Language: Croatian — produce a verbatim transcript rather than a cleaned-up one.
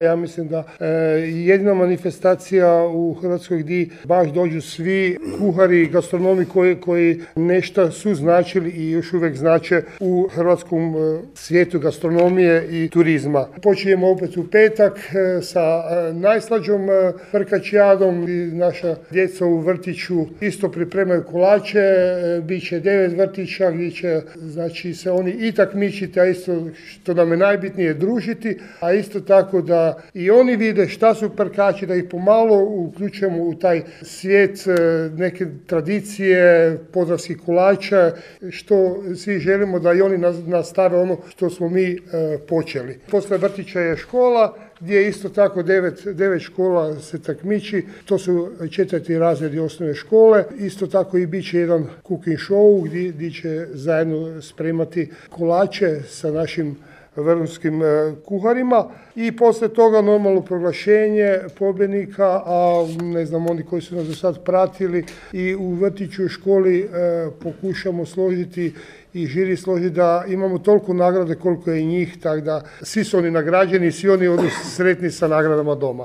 Ja mislim da e, jedina manifestacija u Hrvatskoj gdje baš dođu svi kuhari i gastronomi koji, koji nešto su značili i još uvijek znače u hrvatskom e, svijetu gastronomije i turizma. Počinjemo opet u petak e, sa e, najslađom e, frkačijadom i naša djeca u vrtiću isto pripremaju kolače, e, bit će devet vrtića gdje će znači, se oni i takmičiti, a isto što nam je najbitnije družiti, a isto tako da i oni vide šta su prkači, da ih pomalo uključujemo u taj svijet neke tradicije, podravskih kolača, što svi želimo da i oni nastave ono što smo mi e, počeli. Poslije vrtića je škola, gdje isto tako devet, devet škola se takmiči, to su četvrti razredi osnovne škole, isto tako i bit će jedan cooking show gdje, gdje će zajedno spremati kolače sa našim vrhunskim kuharima i poslije toga normalno proglašenje pobjednika, a ne znam, oni koji su nas do sad pratili i u vrtiću i školi e, pokušamo složiti i žiri složiti da imamo toliko nagrade koliko je i njih, tako da svi su oni nagrađeni, svi oni odu sretni sa nagradama doma.